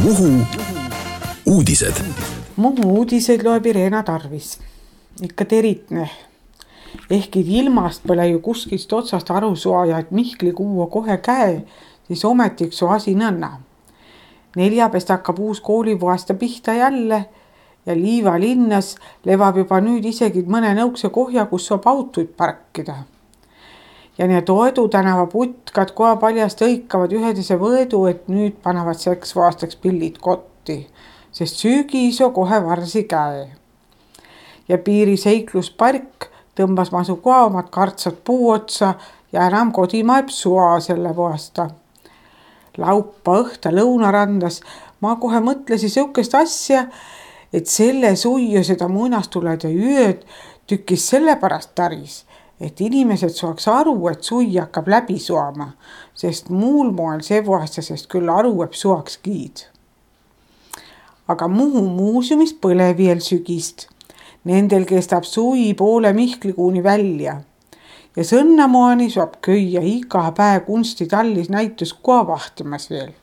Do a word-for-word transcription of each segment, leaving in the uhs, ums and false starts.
Muhu uudised. Muhu uudiseid loeb Irena Tarvis. Ikka teritne. Ehkki ilmast pole ju kuskist otsast aru suaja, et Mihkli kuua kohe käe, siis ometiks su asi nõnna. Neljapest hakkab uus koolivuaasta pihta jälle ja Liiva linnas levab juba nüüd isegi mõne nõukse kohja, kus saab autoid parkida. Ja need Oedu tänava putkad koha paljast õikavad ühedese võedu, et nüüd panevad seks aastaks pillid kotti, sest süügiiso kohe varsi käe. Ja piiri seikluspark tõmbas masu koha omad kartsad puu otsa ja enam kodimaeb sua selle vuasta. Laupa õhta lõunarandas ma kohe mõtlesin sõukest asja, et selle suiu seda muinastulede yööd tükkis sellepärast taris, et inimesed saaks aru, et sui hakkab läbi suama, sest muul moel see vuastasest küll aru, et suaks kiid. Aga Muhu muuseumis põle veel sügist. Nendel kestab sui poole Mihklikuuni välja. Ja sõnnamoani saab köia iga päev kunstitallis näitus koha vahtimas veel.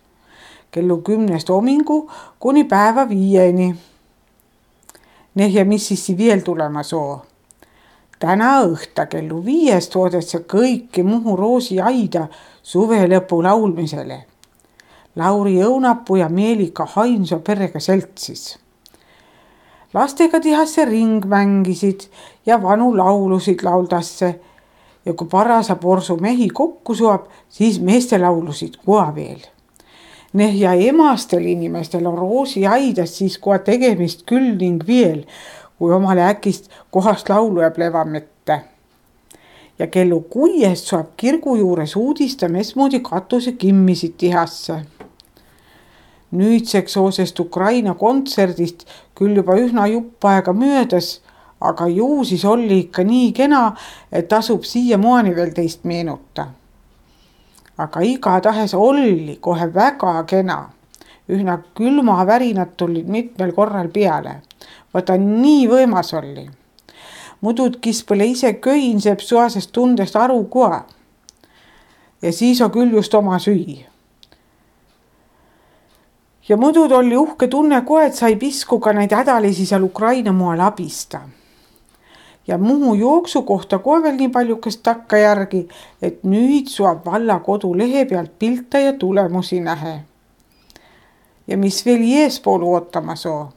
Kellu kümnest homingu kuni päeva viieni. Neh ja mis siis veel tulema soo? Täna õhta kellu viiest oodetse kõiki Muhu Roosi aida suve lõpu laulmisele. Lauri Õunapuu ja Meelika Hainso perega seltsis. Lastega tihasse ring mängisid ja vanu laulusid lauldasse ja kui parasa porsu mehi kokku suab, siis meeste laulusid koha veel. Neh ja emastel inimestel on Roosi aidas siis koha tegemist küll ning veel, kui omale äkist kohast laulu jääb levamette. Ja kellu kuiest saab kirgu juures uudista mesmoodi katuse kimmisid tihasse. Nüüdseks oosest Ukraina kontserdist küll juba ühna jupp aega möödas, aga ju siis oli ikka nii kena, et tasub siia moani veel teist meenuta. Aga igatahes oli kohe väga kena. Ühna külma värinad tulid mitmel korral peale. Võta nii võimas oli. Mudud kispõle ise köin seeb suasest tundest aru koha. Ja siis on küll just oma süü. Ja mudud oli uhke tunne kohe, et sai piskuga neid hädalisi seal Ukraina moal abista. Ja Muhu jooksu kohta kohe veel nii paljukest takka järgi, et nüüd suab valla kodu lehe pealt pilta ja tulemusi nähe. Ja mis veel eespoolu ootama soo?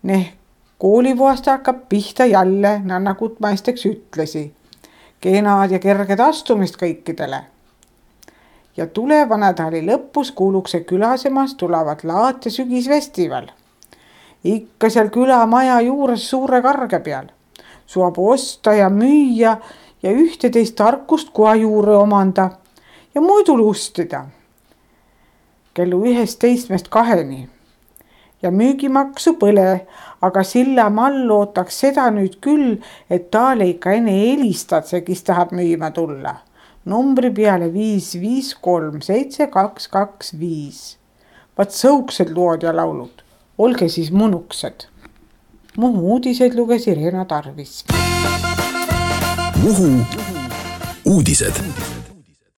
Neh koolivuasta hakkab pihta jälle, nagu ma esteks ütlesi. Kenad ja kerged astumist kõikidele. Ja tuleva nädali lõpus kuulukse külasemas tulevad laat ja sügisfestival. Ikka seal külamaja juures suure karge peal. Suab osta ja müüa ja ühteteist tarkust koha juure omanda ja muidu lustida. Kellu ühest teismest kaheni. Ja müügimaksu põle, aga silla mall ootaks seda nüüd küll, et taale ikka enne helistad see, kes tahab müüma tulla. Numbri peale viis viis kolm seitse kaks kaks viis. Vaat sõuksed lood ja laulud. Olge siis munuksed. Muhu uudiseid luges Irena Tarvis. Muhu uudised.